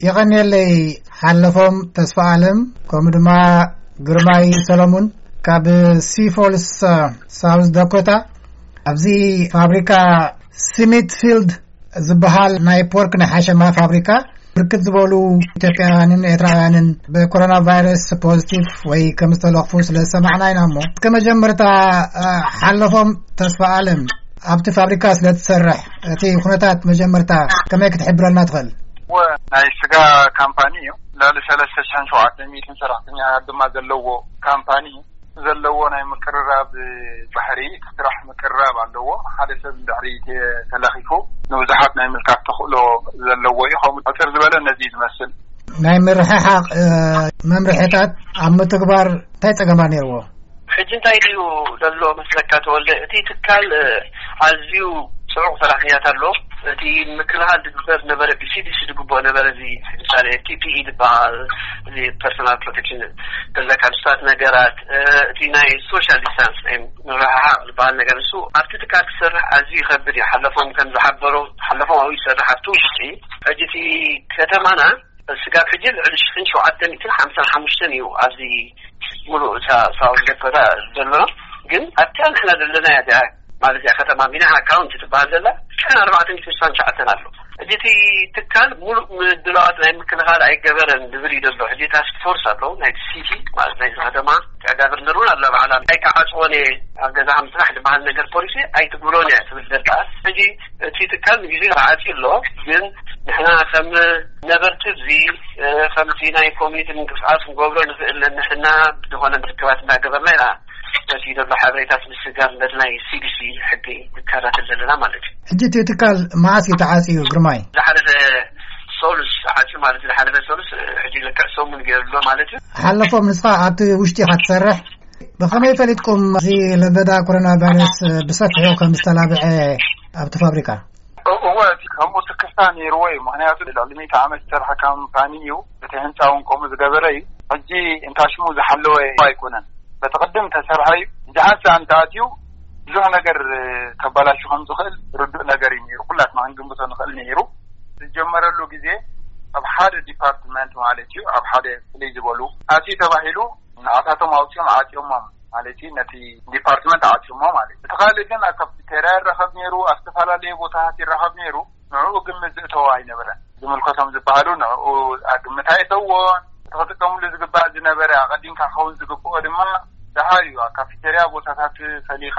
የቐንየለይ ሓለፎም ተስፋ ኣለም፣ ከምኡ ድማ ግርማይ ሰሎሙን ካብ ሲፎልስ ሳውዝ ዳኮታ፣ ኣብዚ ፋብሪካ ስሚትፊልድ ዝበሃል ናይ ፖርክ ናይ ሓሸማ ፋብሪካ ብርክት ዝበሉ ኢትዮጵያውያንን ኤርትራውያንን ብኮሮና ቫይረስ ፖዚቲቭ ወይ ከም ዝተለኽፉ ስለ ዝሰማዕና ኢና። እሞ እስከ መጀመርታ ሓለፎም ተስፋ ኣለም፣ ኣብቲ ፋብሪካ ስለ ትሰርሕ እቲ ኩነታት መጀመርታ ከመይ ክትሕብረልና ትኽእል? ናይ ስጋ ካምፓኒ እዩ። ልዕሊ ሰለስተ ሽሕን ሸውዓተ ሚእትን ሰራሕተኛ ድማ ዘለዎ ካምፓኒ እዩ። ዘለዎ ናይ ምቅርራብ ባህሪ፣ እቲ ስራሕ ምቅርራብ ኣለዎ። ሓደ ሰብ እንድሕሪ ተለኺፉ ንብዙሓት ናይ ምልካት ተኽእሎ ዘለዎ እዩ። ከምኡ ሕፅር ዝበለ ነዚ እዩ ዝመስል። ናይ ምርሕሓቕ መምርሕታት ኣብ ምትግባር እንታይ ፀገማ ነይርዎ? ሕጂ እንታይ ድዩ ዘሎ መስለካ ተወልደ? እቲ ትካል ኣዝዩ ፅዑቕ ሰራሕተኛታት ኣሎ። እቲ ምክልኻል ዝግበር ነበረ፣ ብሲዲሲ ዝግብኦ ነበረ። እዚ ምሳሌ ፒ ፒ ኢ ዝበሃል፣ እዚ ፐርሶናል ፕሮቴክሽን ተዘካ ንስታት ነገራት፣ እቲ ናይ ሶሻል ዲስታንስ ናይ ምርሕሓቕ ዝበሃል ነገር፣ ንሱ ኣብቲ ትካል ክሰርሕ ኣዝዩ ይኸብድ እዩ። ሓለፎም ከም ዝሓበሮ፣ ሓለፎም ኣብኡ ይሰርሕ ኣብቲ ውሽጢ። ሕጂ እቲ ከተማና ስጋብ ሕጂ ልዕሊ ሽሕን ሸውዓተ ሚእትን ሓምሳን ሓሙሽተን እዩ ኣብዚ ሙሉእ እታ ሳውዝ ዳኮታ ዘሎ። ግን ኣብታ ንሕና ዘለና እያ እዚኣ፣ ማለት እያ ከተማ ሚናሃ ካውንቲ ትበሃል ዘላ፣ ሽሕን ኣርባዕተ ሚእትን ስሳን ትሽዓተን ኣሎ። ሕጂ እቲ ትካል ሙሉእ ምድላዋት ናይ ምክልኻል ኣይገበረን ዝብል እዩ ዘሎ። ሕጂ ታስክ ፎርስ ኣሎ ናይቲ ሲቲ፣ ማለት ናይዚ ከተማ፣ ጋቨርነር እውን ኣላ ባዕላ። ኣይክዓፅዎን እየ፣ ኣብ ገዛኻ ምፅናሕ ዝበሃል ነገር ፖሊሲ ኣይትግብሮን እያ ትብል ዘላ። ሕጂ እቲ ትካል ንግዜ ተዓፅዩ ኣሎ። ግን ንሕና ከም ነበርቲ እዚ፣ ከምቲ ናይ ኮሚኒቲ ምንቅስቃስ ክንገብሮ ንኽእል፣ ንሕና ዝኾነ ርክባት እናገበርና ኢና ነቲ ዘሎ ሓበሬታት ምስጋር ነቲ ናይ ሲዲሲ ሕጊ ንከታተል ዘለና ማለት እዩ። ሕጂ እቲ ትካል መዓስ እዩ ተዓፅዩ ግርማይ? ዝሓለፈ ሶሉስ ተዓፅዩ ማለት እዩ። ዝሓለፈ ሶሉስ፣ ሕጂ ልክዕ ሰሙን ገይሩ ኣሎ ማለት እዩ። ሓለፎም ንስኻ ኣብቲ ውሽጢ ኢኻ ትሰርሕ። ብኸመይ ፈሊጥኩም እዚ ለበዳ ኮሮና ቫይረስ ብሰፊሑ ከም ዝተላብዐ ኣብቲ ፋብሪካ? እወ፣ እቲ ከምኡ ስክፍታ ነይርዎ እዩ። ምኽንያቱ ልዕሊ ሚእቲ ዓመት ዝሰርሐ ካምፓኒ እዩ። እቲ ህንፃ እውን ከምኡ ዝገበረ እዩ። ሕጂ እንታ ሽሙ ዝሓለወ ኣይኮነን። በቲ ቅድም ተሰርሐ እዩ። ሕጂ ሓንሳ እንተኣትዩ ብዙሕ ነገር ተባላሹ ከም ዝኽእል ርዱእ ነገር እዩ ነይሩ። ኩላትና ክንግምቶ ንኽእል ነይሩ። ዝጀመረሉ ግዜ ኣብ ሓደ ዲፓርትመንት ማለት እዩ፣ ኣብ ሓደ ፍልይ ዝበሉ ኣትዩ ተባሂሉ ንኣታቶም ኣውፂኦም ዓፅዮሞም ማለት እዩ። ነቲ ዲፓርትመንት ዓፅዮሞ ማለት እዩ። እቲ ካልእ ግን ኣብ ካፍቴርያ ይራኸብ ነይሩ፣ ኣብ ዝተፈላለዩ ቦታታት ይራኸብ ነይሩ። ንዕኡ ግምት ዝእተዎ ኣይነበረን። ዝምልከቶም ዝበሃሉ ንዕኡ ግምት ኣየእተውዎን። እቲ ክጥቀምሉ ዝግባእ ዝነበረ፣ ኣቐዲምካ ክኸውን ዝግብኦ ድማ ደሃዩ ኣብ ካፌቴርያ ቦታታት ፈሊኻ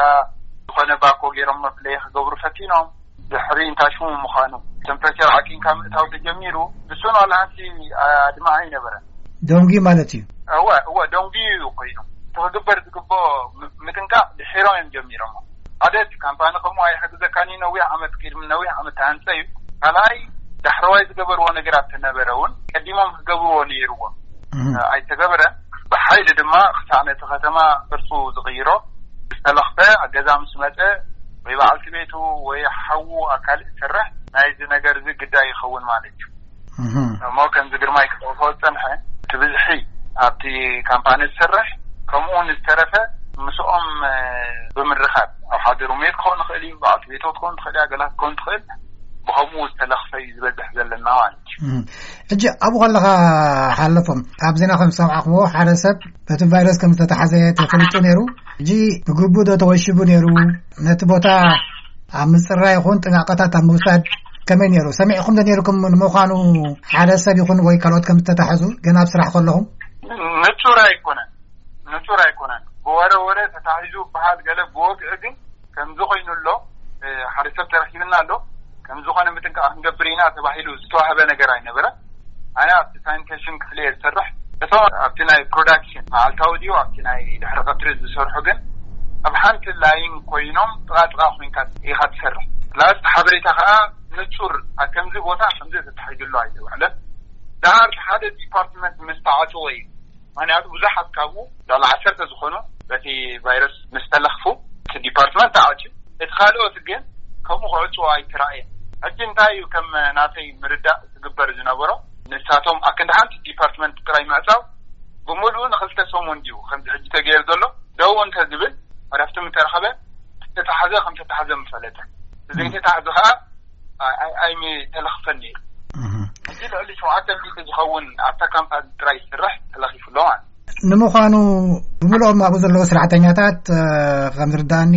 ዝኾነ ባኮ ገይሮም መፍለዪ ክገብሩ ፈቲኖም። ድሕሪ እንታይ ሽሙ ምዃኑ ቴምፕሬቸር ዓቂንካ ምእታው ተጀሚሩ። ንሱን ዋላ ሓንቲ ኣድማ ኣይነበረን። ደንጉዩ ማለት እዩ። እወ እወ፣ ደንጉዩ እዩ ኮይኑ። እቲ ክግበር ዝግብኦ ም- ምጥንቃቕ ድሒሮም እዮም ጀሚሮሞ። ሓደ እቲ ካምፓኒ ከምኡ ኣይሕግዘካን እዩ፣ ነዊሕ ዓመት ቅድሚ ነዊሕ ዓመት ተሃንፀ እዩ። ካልኣይ ዳሕረዋይ ዝገበርዎ ነገራት ተነበረ እውን ቀዲሞም ክገብርዎ ነይርዎም። ኣይተገበረን። ብሓይሊ ድማ ክሳዕ ነቲ ከተማ ቅርፁ ዝቕይሮ ዝተለኽፈ ገዛ ምስ መፀ ወይ በዓልቲ ቤቱ ወይ ሓዉ ኣካል እሰርሕ ናይዚ ነገር እዚ ግዳይ ይኸውን ማለት እዩ። እሞ ከምዚ ግርማይ ክጠቕሶ ዝፀንሐ እቲ ብዝሒ ኣብቲ ካምፓኒ ዝሰርሕ ከምኡ እውን ዝተረፈ ምስኦም ብምርኻብ ኣብ ሓደ ሩሜት ክኸውን ይኽእል እዩ፣ በዓልቲ ቤቶ ክትኸውን ትኽእል እያ፣ ገላት ክትኸውን ትኽእል። ብኸምኡ ዝተለኽፈ እዩ ዝበዝሕ ዘለና ማለት እዩ። ሕጂ ኣብኡ ከለኻ ሓለፎም ኣብ ዜና ከም ዝሰማዕኽዎ ሓደ ሰብ በቲ ቫይረስ ከም ዝተታሓዘ ተፈሊጡ ነይሩ። ሕጂ ብግቡእ ዶ ተወሺቡ ነይሩ? ነቲ ቦታ ኣብ ምፅራይ ይኹን ጥንቃቐታት ኣብ ምውሳድ ከመይ ነይሩ? ሰሚዕኹም ዶ ነይርኩም? ንምዃኑ ሓደ ሰብ ይኹን ወይ ካልኦት ከም ዝተታሕዙ ገና ኣብ ስራሕ ከለኹም? ንጹር ኣይኮነን፣ ንጹር ኣይኮነን። ብወረ ወረ ተታሒዙ በሃል ገለ፣ ብወግዒ ግን ከምዚ ኮይኑ ኣሎ፣ ሓደ ሰብ ተረኪብና ኣሎ፣ ከም ዝኾነ ምጥንቃቕ ክንገብር ኢና ተባሂሉ ዝተዋህበ ነገር ኣይነበረን። ኣነ ኣብቲ ሳኒቴሽን ክፍሊ እየ ዝሰርሕ። እቶም ኣብቲ ናይ ፕሮዳክሽን መዓልታዊ ድዩ ኣብቲ ናይ ድሕሪ ቀትሪ ዝሰርሑ ግን ኣብ ሓንቲ ላይን ኮይኖም ጥቓ ጥቓ ኮይንካ ኢኻ ትሰርሕ። ፕላስ ሓበሬታ ከዓ ንጹር ኣብ ከምዚ ቦታ ከምዚ ተታሒዙ ኣሎ ኣይተባህለን። ደሓር ሓደ ዲፓርትመንት ምስ ተዓጽወ እዩ። ምክንያቱ ብዙሓት ካብኡ ልዕሊ ዓሰርተ ዝኾኑ በቲ ቫይረስ ምስ ተለኽፉ እቲ ዲፓርትመንት ተዓጽዩ። እቲ ካልኦት ግን ከምኡ ክዕጽዎ ኣይተራእየን። ሕጂ እንታይ እዩ ከም ናተይ ምርዳእ ዝግበር ዝነበሮ? ንሳቶም ኣክንዲ ሓንቲ ዲፓርትመንት ጥራይ ምዕጻው ብምሉኡ ንኽልተ ሰሙን ድዩ ከምዚ ሕጂ ተገይሩ ዘሎ ደው እንተዝብል ዕረፍቲ ምተረኸበ፣ ዝተታሕዘ ከም ዝተታሕዘ ምፈለጠ፣ ዘይተታሕዘ ከዓ ኣይምተለኽፈን ነይሩ። ሕጂ ልዕሊ ሸውዓተ ሚእቲ ዝኸውን ኣብታ ካምፓኒ ጥራይ ይስራሕ ተለኺፉ ኣሎ ማለት እዩ። ንምዃኑ ብምልኦም ኣብኡ ዘለዉ ሰራሕተኛታት፣ እ፣ ከም ዝርዳእኒ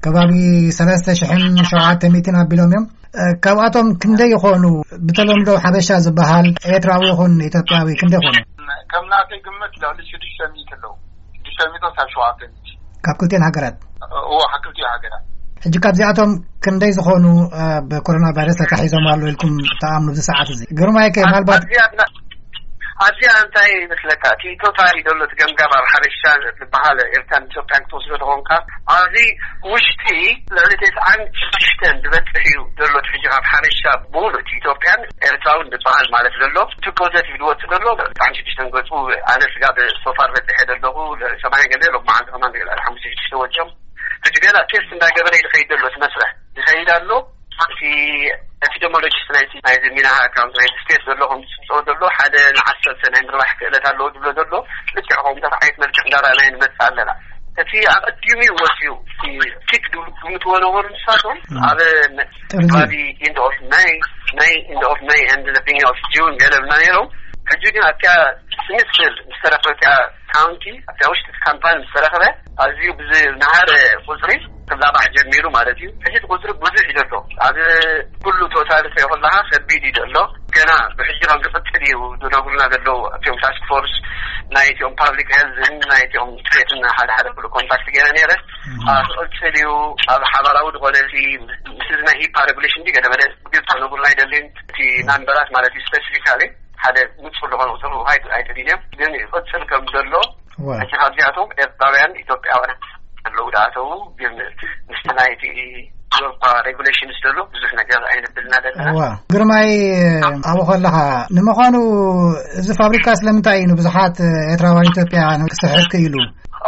ከባቢ ሰለስተ ሽሕን ሸውዓተ ሚእትን ኣቢሎም እዮም። እ፣ ካብኣቶም ክንደይ ይኾኑ ብተለምዶ ሓበሻ ዝበሃል ኤርትራዊ ይኹን ኢትዮጵያዊ ክንደይ ይኾኑ? ከም ናተይ ግምት ልዕሊ ሽዱሽተ ሚእቲ ኣለዉ። ሽዱሽተ ሚእቲ ካብ ሸውዓተ ሚእቲ። ካብ ክልቲኤን ሃገራት? እዎ፣ ካብ ክልቲኤን ሃገራት። ሕጂ ካብዚኣቶም ክንደይ ዝኾኑ፣ እ፣ ብኮሮና ቫይረስ ተታሒዞም ኣለዉ ኢልኩም ትኣምኑ ኣብዚ ሰዓት እዚ? ግርማይ ከ ኣብ-፣ ምናልባት ኣብዚኣ ብና-፣ ኣብዚኣ እንታይ ይመስለካ? እቲ ቶታሊ ዘሎ እቲ ገምጋም ኣብ ሓበሻ ዝበሃል ኤርትራን ኢትዮጵያን ክትወስዶ ተኾንካ፣ ኣብዚ ውሽጢ ልዕሊ ተስዓን ሽዱሽተን ዝበጽሕ እዩ ዘሎ እቲ ሕጂ ካብ ሓበሻ ብምሉእ እቲ ኢትዮጵያን ኤርትራውን ዝበሃል ማለት ዘሎ። እቲ ፖዘቲቭ ዝወጽእ ዘሎ ተስዓን ሽዱሽተን ገጹ ኣነ ስጋብ ሶፋር በጺሐ ዘለኹ ሰማንያ ገለ ሎም መዓልቲ ከማን ገለ ሓሙሽተ ሽዱሽተ ወጽኦም። ሕጂ ገና ቴስት እንዳገበረ ይኸይድ ዘሎ እቲ መስርሕ ይኸይድ ኣሎ። እቲ ኤፒደሞሎጂስት ናይቲ ናይዚ ሚናሃ ኣካውንት ናይቲ ስቴት ዘሎ ከም ዝፅብፅቦ ዘሎ ሓደ ንዓሰርተ ናይ ምርባሕ ክእለት ኣለዎ ዝብሎ ዘሎ ልክዕ ከምኡታት ዓይነት መልክዕ እንዳረኣናዮ ንመፅእ ኣለና። እቲ ኣቐዲሙ እዩ ወፂኡ። እቲ ፒክ ግምትዎ ነበሩ ንሳቶም ም። ኣብ ጥርዚ። ከባቢ ኢንድ ኦፍ ማይ ማይ ኢንድ ኦፍ ማይ ኤንድ ዘ ቢግኒንግ ኦፍ ጁን ገለ ብና ነይሮም። ሕጂ ግን ኣብቲያ ስሚትስቪል ዝተረፈ እቲያ ካውንቲ ኣብቲያ ውሽጢ እቲ ካምፓኒ ምስ ተረኸበ ኣዝዩ ብዝነሃረ ቁፅሪ ክላባሕ ጀሚሩ ማለት እዩ። ሕጂ እቲ ቁፅሪ ብዙሕ እዩ ዘሎ። ኣብ ኩሉ ቶታል እንተይ ከለካ ከቢድ እዩ ዘሎ። ገና ብሕጂ ከም ዝቕፅል እዩ ዝነግሩና ዘለዉ እቲኦም ታስክ ፎርስ ናይ እቲኦም ፓብሊክ ሄልዝን ናይ እቲኦም ስቴትን ሓደ ሓደ ኩሉ ኮንታክት ገይረ ነይረ። እም። ኣብ ዝቕፅል እዩ ኣብ ሓባራዊ ዝኾነ እቲ ምስ እዚ ናይ ሂፓ ሬጉሌሽን እንዲ ገለ መለ ግልፂ ክነግሩና ኣይደልዩን። እቲ ናምበራት ማለት እዩ ስፔሲፊካሊ ሓደ ንፁር ዝኾነ ቁፅሪ ክህቡ ኣይደ-፣ ኣይደልዩን እዮም። ግን ይቕፅል ከም ዘሎ እዋ። ሕጂ ካብዚኣቶም ኤርትራውያን ኢትዮጵያውያን ኣለዉ ዝኣተዉ፣ ግን ምስቲ ናይቲ ዞርፓ ሬጉሌሽንስ ዘሎ ብዙሕ ነገር ኣይንብልና ዘለና። እዋ። ግርማይ፣ ኣብኡ ከለኻ ንምዃኑ እዚ ፋብሪካ ስለምንታይ እዩ ንብዙሓት ኤርትራውያን ኢትዮጵያውያን ክስሕብ ክኢሉ?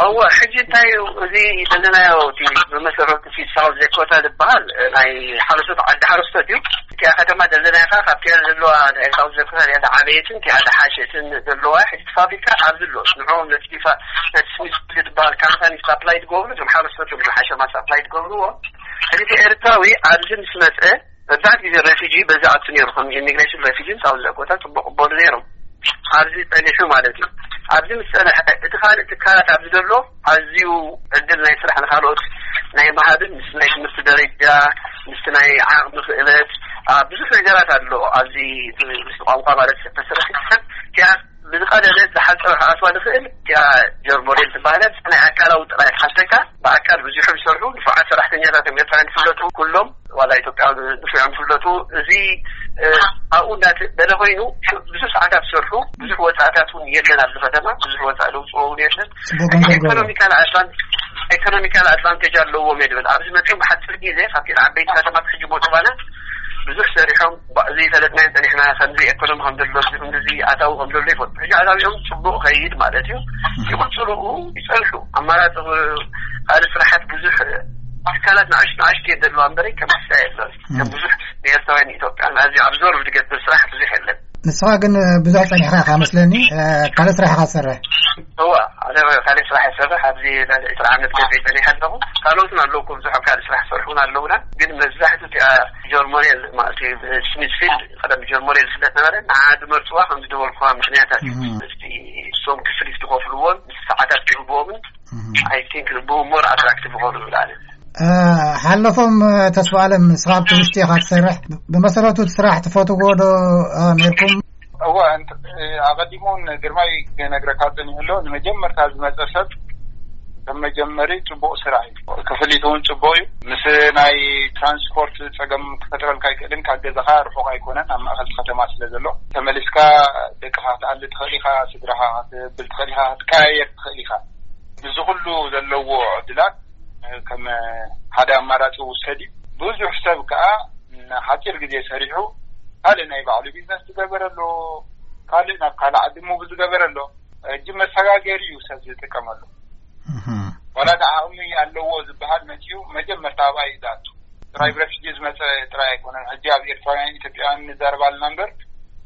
እዋ፣ ሕጂ እንታይ እዩ እዚ ዘለናዮ እቲ ብመሰረቱ እቲ ሳውዝ ዳኮታ ዝበሃል ናይ ሓረስቶት ዓዲ ሓረስቶት እዩ። እቲኣ ከተማ ዘለናያ ከኣ ካብቲኣ ዘለዋ ናይ ሳውዝ ዳኮታ እያ ዝዓበየትን እቲኣ ዝሓሸትን ዘለዋ። ሕጂ እቲ ፋብሪካ ኣብዚ ኣሎ። ንዕኦም ነቲ ዲፋ-፣ ነቲ ስሚዝ ዝበሃል ካምፓኒ ሳፕላይ ዝገብሩ፣ እቶም ሓረስቶት እዮም ዝሓሸማ ሳፕላይ ዝገብርዎ። ሕጂ እቲ ኤርትራዊ ኣብዚ ምስ መጸ መብዛሕትኡ ግዜ ሬፊጂ በዚ ኣቱ ነይሩ፣ ከም ኢሚግሬሽን ሬፊጂ ሳውዝ ዳኮታ ጽቡቕ ቅበሉ ነይሮም። ኣብዚ ጸኒሑ ማለት እዩ። ኣብዚ ምስ ጸንሐ እቲ ካልእ ትካላት ኣብዚ ዘሎ ኣዝዩ ዕድል ናይ ስራሕ ንኻልኦት ናይ ምሃብን ምስ ናይ ትምህርቲ ደረጃ ምስቲ ናይ ዓቕሚ ክእለት፣ አ፣ ብዙሕ ነገራት ኣሎ። ኣብዚ ምስ ቋንቋ ማለት ተሰረሒ ሰብ እቲኣ ብዝቐለለ ዝሓፀረ ክኣትዋ ዝኽእል እቲኣ ጀርሞዴል ትበሃል። ናይ ኣካላዊ ጥራይ ትሓተካ ብኣካል ብዙሑ ዝሰርሑ ንፉዓት ሰራሕተኛታት እዮም ኤርትራውያን ዝፍለጡ ኩሎም ዋላ ኢትዮጵያውያን ንፉዓት ዝፍለጡ። እዚ፣ እ፣ ኣብኡ እንዳተ-፣ በለ ኮይኑ ብዙሕ ሰዓታት ዝሰርሑ ብዙሕ ወፃእታት እውን የለን ኣብዚ ከተማ ብዙሕ ወፃእ ለውፅዎ እውን የለን። ጽቡቕ ገንዘብ ገበሩ። ኢኮኖሚካል ኣድቫን-፣ ኢኮኖሚካል ኣድቫንቴጅ ኣለዎም እየ ዝብል። ኣብዚ መፅኦም ብሓፂር ግዜ ካብቲ ዓበይቲ ከተማታት ሕጂ ቦትባና ብዙሕ ሰሪሖም ባ-፣ ዘይፈለጥናዮ ጸኒሕና ከምዚ ኢኮኖሚ ከም ዘሎ እዚ ከምዚ ኣታዊ ከም ዘሎ ይፈልጡ። ሕጂ ኣታዊኦም ጽቡቕ ከይድ ማለት እዩ። ይቕጽሉ ይጸንሑ። ኣማራጺ ካልእ ስራሓት ብዙሕ ትካላት ንኣሽቱ ንኣሽቱ እየን ዘለዋ እምበረይ ከም ሕሳ የለን። ከም ብዙሕ ብኤርትራውያን ኢትዮጵያን ኣዝዩ ኣብዞርቭ ዝገብር ስራሕ ብዙሕ የለን። ንስኻ ግን ብዙሕ ጸኒሕካ ኢኻ መስለኒ፣ እ፣ ካልእ ስራሕ ኢኻ ትሰርሕ። እዋ፣ ኣነ ካልእ ስራሕ ይሰርሕ። ኣብዚ ልዕሊ ዕስራ ዓመት ገዜ ጸኒሐ ኣለኹ። ካልኦትን ኣለዉ እኮ ብዙሕ ኣብ ካልእ ስራሕ ዝሰርሑ እውን ኣለዉና። ግን መብዛሕትኡ እቲኣ ጀርሞኔል ማለት እዩ፣ ስሚዝፊልድ ቀደም ጀርሞኔል ዝፍለጥ ነበረ። ንዓ ዝመርፅዋ ከም ዝደበልኩዋ ምኽንያታት እዩ። እም። ምስቲ እሶም ክፍሊት ዝኸፍልዎን ምስ ሰዓታት ዝህብዎምን እም። ኣይ ቲንክ ብኡ ሞር ኣትራክቲቭ ይኾኑ ይብል ኣነ። እ፣ ሓለፎም፣ እ፣ ተስፋ ኣለም፣ ንስኻ ኣብቲ ውሽጢ ኢኻ ትሰርሕ። ብ-፣ ብመሰረቱ እቲ ስራሕ ትፈትዎ ዶ፣ እ፣ ነይርኩም? እወ፣ እንት-፣ ኣቐዲሙ እውን ግርማይ ክነግረካ ጸኒሑ ኣሎ። ንመጀመርታ ዝመጸ ሰብ ከም መጀመሪ ጽቡቕ ስራሕ እዩ። ክፍሊት እውን ጽቡቕ እዩ። ምስ ናይ ትራንስፖርት ጸገም ክፈጥረልካ ኣይክእልን። ካብ ገዛኻ ርሑቕ ኣይኮነን፣ ኣብ ማእከል ከተማ ስለ ዘሎ። ተመሊስካ ደቅኻ ክትኣሊ ትኽእል ኢኻ፣ ስድራኻ ክትብል ትኽእል ኢኻ፣ ክትቀያየር ትኽእል ኢኻ። እዚ ኩሉ ዘለዎ ዕድላት ከም ሓደ ኣማራጺ ውሰድ እዩ። ብዙሕ ሰብ ከኣ ንሓጺር ግዜ ሰሪሑ ካልእ ናይ ባዕሉ ቢዝነስ ዝገበረ ኣሎ፣ ካልእ ናብ ካልእ ዓዲ ሙቭ ዝገበረ ኣሎ። ሕጂ መሰጋገሪ እዩ ሰብ ዝጥቀመሉ። እህ። ዋላ ደኣ ዓቕሚ ኣለዎ ዝበሃል መጺኡ መጀመርታ ኣብኣ እዩ ዝኣቱ። ጥራይ ብረፊጂ ዝመጸ ጥራይ ኣይኮነን። ሕጂ ኣብ ኤርትራውያን ኢትዮጵያውያን ንዛረብ ኣለና እምበር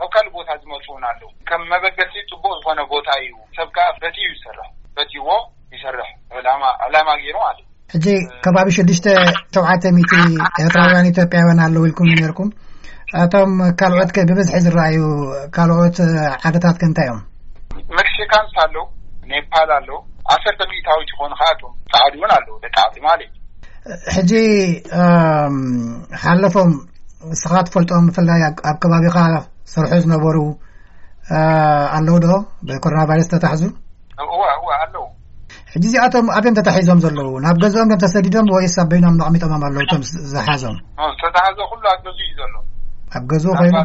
ኣብ ካልእ ቦታ ዝመጹ እውን ኣለዉ። ከም መበገሲ ጽቡቕ ዝኾነ ቦታ እዩ። ሰብ ከኣ ፈትዩ ይሰርሕ። ፈትይዎ ይሰርሕ። ዕላማ፣ ዕላማ ገይሩ ማለት እዩ። ሕጂ ከባቢ ሽዱሽተ ሸውዓተ ሚእቲ ኤርትራውያን ኢትዮጵያውያን ኣለዉ ኢልኩም ነይርኩም። እቶም ካልኦት ከ ብብዝሒ ዝረኣዩ ካልኦት ዓድታት ከ እንታይ እዮም? መክሲካንስ ኣለዉ፣ ኔፓል ኣለዉ፣ ዓሰርተ ሚእታዊት ይኾኑ። ከኣቶም ጻዕዱ እውን ኣለዉ፣ ደቂ ዓዲ ማለት እዩ። ሕጂ ሓለፎም ንስኻ ትፈልጦም፣ ብፍላይ ኣብ ከባቢኻ ሰርሑ ዝነበሩ ኣለዉ ዶ ብኮሮና ቫይረስ ተታሕዙ? እዋ እዋ ኣለዉ። ሕጂ እዚኣቶም ኣብዮም ተታሒዞም ዘለዉ? ናብ ገዝኦም ዮም ተሰዲዶም ወይስ ኣብ በይኖም ነቕሚጦሞም ኣለዉ እቶም ዝሓዞም? ዝተታሕዘ ኩሉ ኣብ ገዙ እዩ ዘሎ። ኣብ ገዝኡ ኮይኑ?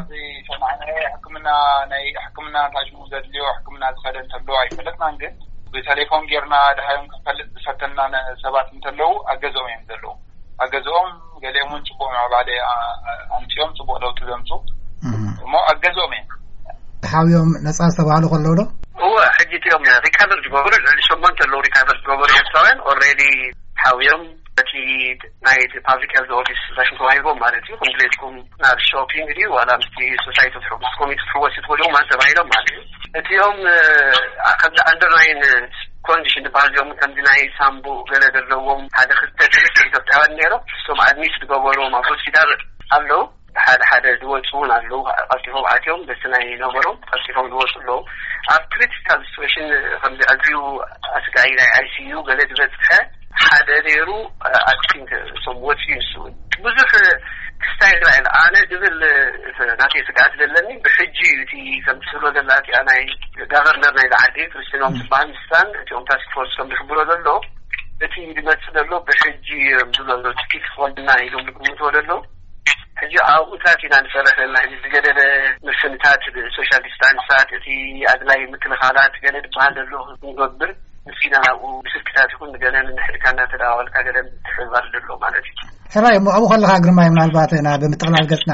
ሰማዕናዮ ሕክምና፣ ናይ ሕክምና ታሽሙ ዘድልዮ ሕክምና ዝኸደ እንተሎ ኣይፈለጥናን፣ ግን ብቴሌፎን ጌርና ድሃዮም ክንፈልጥ ዝፈተና ሰባት እንተለዉ ኣብ ገዝኦም እዮም ዘለዉ። ኣብ ገዝኦም ገሊኦም እውን ጽቡቕ ምዕባለ ኣምጺኦም ጽቡቕ ለውጢ ዘምጹ እሞ ኣብ ገዝኦም እዮም። ተሓውዮም ነጻ ዝተባህሉ ከለዉ ዶ? እወ፣ ሕጂ እቲኦም ሪካቨር ዝገበሩ ልዕሊ ሸሞንተ ኣለዉ። ሪካቨር ዝገበሩ ኤርትራውያን ኦልሬዲ ተሓውዮም በቲ ናይ ፓብሊክ ሄልዝ ኦፊስ ራሽን ተዋሂቦም ማለት እዩ። ክንድሌትኩም ናብ ሾፒንግ ድዩ ዋላ ምስቲ ሶሳይቲ ትሕጉስ ኮሚቲ ትሕወስ ትኽእሉ ማለት ተባሂሎም ማለት እዩ። እቲኦም ከምዚ ኣንደርላይን ኮንዲሽን ዝበሃል እዮም። ከምዚ ናይ ሳምቡ ገለ ዘለዎም ሓደ ክልተ ሰለስተ ኢትዮጵያውያን ነይሮም። እሶም ኣድሚት ዝገበርዎም ኣብ ሆስፒታል ኣለዉ። ሓደ ሓደ ዝወፁ እውን ኣለዉ። ቀልጢፎም ኣትዮም በቲ ናይ ነበሮም ቀልጢፎም ዝወፁ ኣለዉ። ኣብ ክሪቲካል ሲትዌሽን ከምዚ ኣዝዩ ኣስጋኢ ናይ ኣይሲዩ ገለ ዝበፅሐ ሓደ ነይሩ። ኣክቲንግ እሶም ወፂኡ ንሱ እውን ብዙሕ ክስታይ ይረኣየን ኣነ ድብል ናተይ ስግኣት ዘለኒ ብሕጂ እዩ። እቲ ከምቲ ትብሎ ዘላ እቲኣ ናይ ጋቨርነር ናይ ዝዓዲ ክርስቲኖም ዝበሃል ምስታን እቲኦም ታስክ ፎርስ ከም ዝሕብሮ ዘሎ እቲ ዝመፅእ ዘሎ ብሕጂ እዮም ዝብሎ ዘሎ ትኪት ክኾንና ኢሎም ዝግምትዎ ዘለዉ። ሕጂ ኣብኡታት ኢና ንሰርሕ ዘለና። ሕጂ ዝገደደ ምፍንታት ብሶሻል ዲስታንሳት እቲ ኣድላይ ምክልኻላት ገለ ዝበሃል ዘሎ ክንገብር ንሲና ናብኡ ብስልክታት ይኹን ገለ ንንሕድካ እናተደዋወልካ ገለ ምትሕብባር ዘሎ ማለት እዩ። ሕራይ እሞ ኣብኡ ከለኻ ግርማይ ምናልባት ናብ ምጥቕላል ገጽና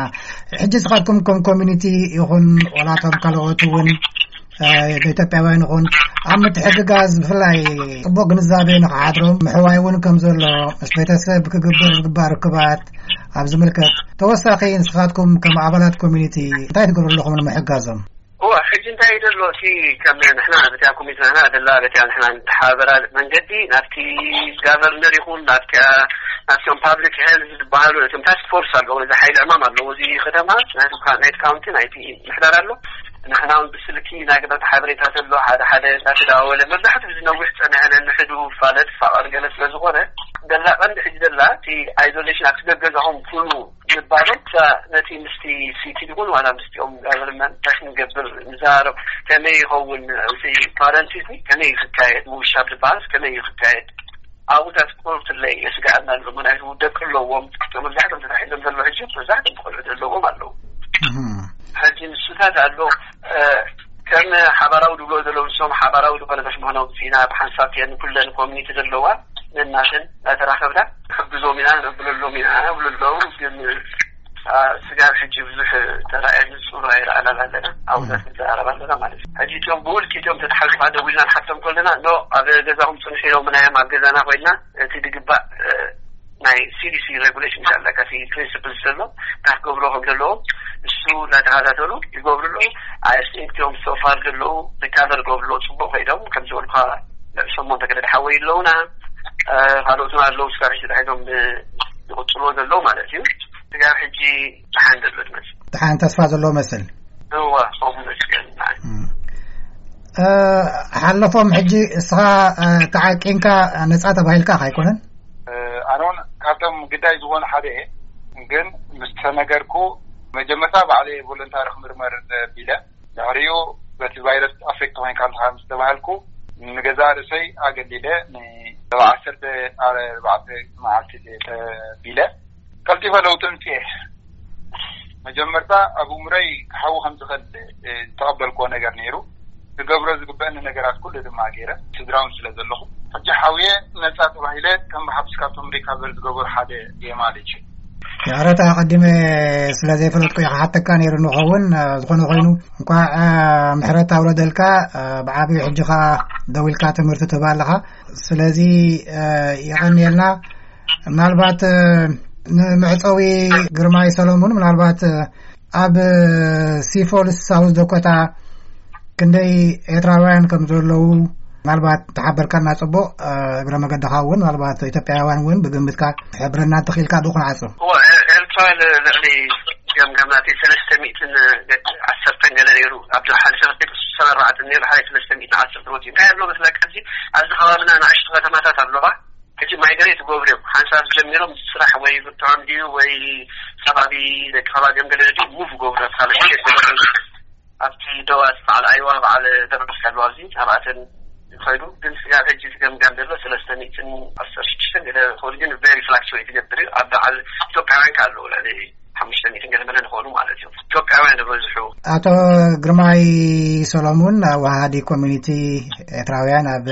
ሕጂ ስኻትኩም ከም ኮሚኒቲ ይኹን ወላቶም ካልኦት እውን ኢትዮጵያውያን ይኹን ኣብ ምትሕግጋዝ ብፍላይ ጽቡቕ ግንዛቤ ንኽሓድሮም ምሕዋይ እውን ከም ዘሎ ምስ ቤተሰብ ክግበር ዝግባእ ርክባት ኣብ ዝምልከት ተወሳኺ ንስኻትኩም ከም ኣባላት ኮሚኒቲ እንታይ ትገብሩ ኣለኹም ንምሕጋዞም? እዋ ሕጂ እንታይ ዘሎ እቲ ከም ንሕና በቲያ ኮሚቴ ንሕና ደላ በቲያ ንሕና ንተሓበራ መንገዲ ናብቲ ጋቨርነር ይኹን ናብቲያ ናብቶም ፓብሊክ ሄልዝ ዝበሃሉ እቶም ታስክ ፎርስ ኣለዎ እዚ ሓይሊ ዕማም ኣለዎ እዚ ከተማ ናይቲ ካውንቲ ናይቲ ምሕዳር ኣሎ። ንሕና እውን ብስልኪ ናይ ግብረት ሓበሬታ ዘሎ ሓደ ሓደ እናተደዋወለ መብዛሕትኡ እዚ ነዊሕ ፀንሐ ነንሕዱ ፋለጥ ፋቐር ገለ ስለ ዝኾነ ደላ ቀንዲ ሕጂ ደላ እቲ ኣይዞሌሽን ኣብቲ ገገዛኹም ኩኑ ምባሎም ነቲ ምስቲ ሲቲ ይኹን ዋላ ምስቲኦም ጋቨርንመንት ታሽ ንገብር ንዘራረብ ከመይ ይኸውን እዚ ፓረንቲቲ ከመይ ክካየድ ምውሻብ ዝበሃል ከመይ ክካየድ ኣብኡታት ቁርትለይ የስግኣና ኣሎ። ምክንያቱ ደቂ ኣለዎም መብዛሕቶም ተታሒዞም ዘሎ ሕጂ መብዛሕቶም ቆልዑ ዘለዎም ኣለዉ። ሕጂ ንሱታት ኣሎ ከም ሓባራዊ ድብሎ ዘለዉ ንሶም ሓባራዊ ዝኾነ መሽመሆና ውፅኢና ብሓንሳብ ቲአን ኩለን ኮሚኒቲ ዘለዋ ነናተን እናተራኸብና ንሕግዞም ኢና ነብለሎም ኢና ነብለሎም ግን ስጋብ ሕጂ ብዙሕ ተራእየ ንፁር ኣይረኣናን ኣለና። ኣብኡታት ንዘራረብ ኣለና ማለት እዩ። ሕጂ እቶም ብውልቂ እቶም ተተሓዙ ከዓ ደዊልና ንሓቶም ከለና ኖ ኣብ ገዛኹም ፅንሑ ኢሎምና እዮም ኣብ ገዛና ኮይና እቲ ዝግባእ ናይ ሲዲሲ ሬጉሌሽን ኣለካ እቲ ፕሪንስፕል ዘሎ እንታይ ክገብሮ ከም ዘለዎም እሱ እናተኸታተሉ ይገብሩ ኣለዉ። ኣይ ቲንክ እቶም ሶፋር ዘለዉ ሪካቨር ገብሩ ኣለዉ ፅቡቅ ኮይዶም ከም ዝበልኳ ልዕሊ ሸሞንተ ገለ ሓወይ ኣለዉና ካልኦትና ኣለዉ ስጋብ ሕጂ ተታሒዞም ዝቕፅልዎ ዘለዉ ማለት እዩ። ስጋብ ሕጂ ደሓን ዘሎ ትመስል። ደሓን ተስፋ ዘለዎ መስል። እዋ ከምኡ መስገን ሓለፎም ሕጂ እስኻ ተዓቂንካ ነፃ ተባሂልካ ኣይኮነን? ኣነ እውን ካብቶም ግዳይ ዝኾኑ ሓደ እየ። ግን ምስ ተነገርኩ መጀመርታ ባዕለይ ቮለንታሪ ክምርመር ቢለ ድሕሪኡ በቲ ቫይረስ ኣፌክት ኮይንካ ኣለካ ምስ ተባሃልኩ ንገዛ ርእሰይ ኣገሊለ ንሰብዓ ዓሰርተ ኣርባዕተ መዓልቲ ተቢለ ቀልጢፈ ለውጢ ኣምፅኤ። መጀመርታ ኣብ እምሮይ ክሓዊ ከም ዝኽእል ዝተቐበልክዎ ነገር ነይሩ። ክገብሮ ዝግበአኒ ነገራት ኩሉ ድማ ገይረ ስድራውን ስለ ዘለኹ ሕጂ ሓውየ ነፃ ተባሂለ ከም ብሓብስ ካብቶም ሪካቨር ዝገበሩ ሓደ እየ ማለት እዩ። ይቕረታ ኣቐዲመ ስለ ዘይፈለጥኩ እየ ክሓተካ ነይሩ ንኸውን ዝኾነ ኮይኑ እንኳዕ ምሕረት ኣውረደልካ። ብዓብዩ ሕጂ ኸዓ ደዊልካ ትምህርቲ ትህብ ኣለኻ። ስለዚ የቐንየልና። ምናልባት ንምዕፀዊ ግርማይ ሰሎሙን ምናልባት ኣብ ሲፎልስ ሳውዝ ደኮታ ክንደይ ኤርትራውያን ከም ዘለዉ ምናልባት ተሓበርካና ጽቡቕ። እግረ መገድኻ እውን ምናልባት ኢትዮጵያውያን እውን ብግምትካ ሕብረና እንተኽኢልካ ብኡ ክንዓጹ። ኤርትራውያን ልዕሊ ገምጋም ናተይ ሰለስተ ሚእትን ዓሰርተን ገለ ነይሩ። ኣብ ዝሓለፈ ክልተ ሽሕን ዓሰርተ ኣርባዕተን ነይሩ፣ ሓደ ሰለስተ ሚእትን ዓሰርተ ወፂኡ። እንታይ ኣሎ መስለካ፣ ኣብዚ ኣብዚ ከባብና ንኣሽቱ ከተማታት ኣለዋ። ሕጂ ማይግሬት ይገብሩ እዮም። ሓንሳብ ጀሚሮም ስራሕ ወይ ብርትዖም ድዩ ወይ ከባቢ ደቂ ከባቢኦም ገለ ድዩ ሙቭ ይገብሩ፣ ኣብ ካልእ ስቴት ይገብሩ። ኣብቲ ደዋት በዓል ኣይዋ፣ በዓል ደብረስ ኣለዋ፣ ኣብዚ ኣብኣተን ይኸዱ። ግን ስጋብ ሕጂ ዝገምጋም ዘሎ ሰለስተ ሚእትን ዓሰርተ ሽዱሽተ ገለ ክኸውን፣ ግን ቨሪ ፍላክቹዌት ይገብር እዩ። ኣብ በዓል ኢትዮጵያውያን ከ ኣለዉ፣ ልዕሊ ሓሙሽተ ሚእትን ገለ መለ ንኾኑ ማለት እዩ። ኢትዮጵያውያን ዝበዝሑ። ኣቶ ግርማይ ሰሎሙን፣ ኣዋሃዲ ኮሚኒቲ ኤርትራውያን ኣብ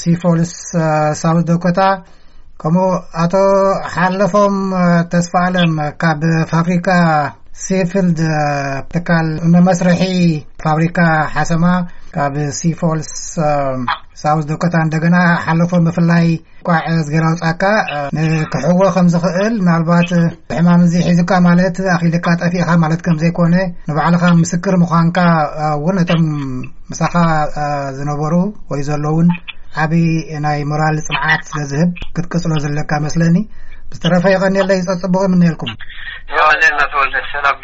ሲፎልስ ሳውዝ ዶኮታ፣ ከምኡ ኣቶ ሓለፎም ተስፋ ኣለም ካብ ፋብሪካ ሲፊልድ፣ ትካል መመስርሒ ፋብሪካ ሓሰማ ካብ ሲፎልስ ሳውዝ ዶኮታ፣ እንደገና ሓለፎም ብፍላይ ቋዕ ዝገላውጻካ ንክሕዎ ከም ዝኽእል፣ ምናልባት ሕማም እዚ ሒዙካ ማለት ኣኺልካ ጠፊእካ ማለት ከም ዘይኮነ፣ ንባዕልኻ ምስክር ምዃንካ እውን ነቶም ምሳኻ ዝነበሩ ወይ ዘለውን ዓቢ ናይ ሞራል ጽንዓት ስለ ዝህብ ክትቅጽሎ ዘለካ መስለኒ። ብዝተረፈ ይቐንየለይ፣ ጸጽቡቕ ይምነየልኩም። ይቐንየልና ተወልደ፣ ሰላም።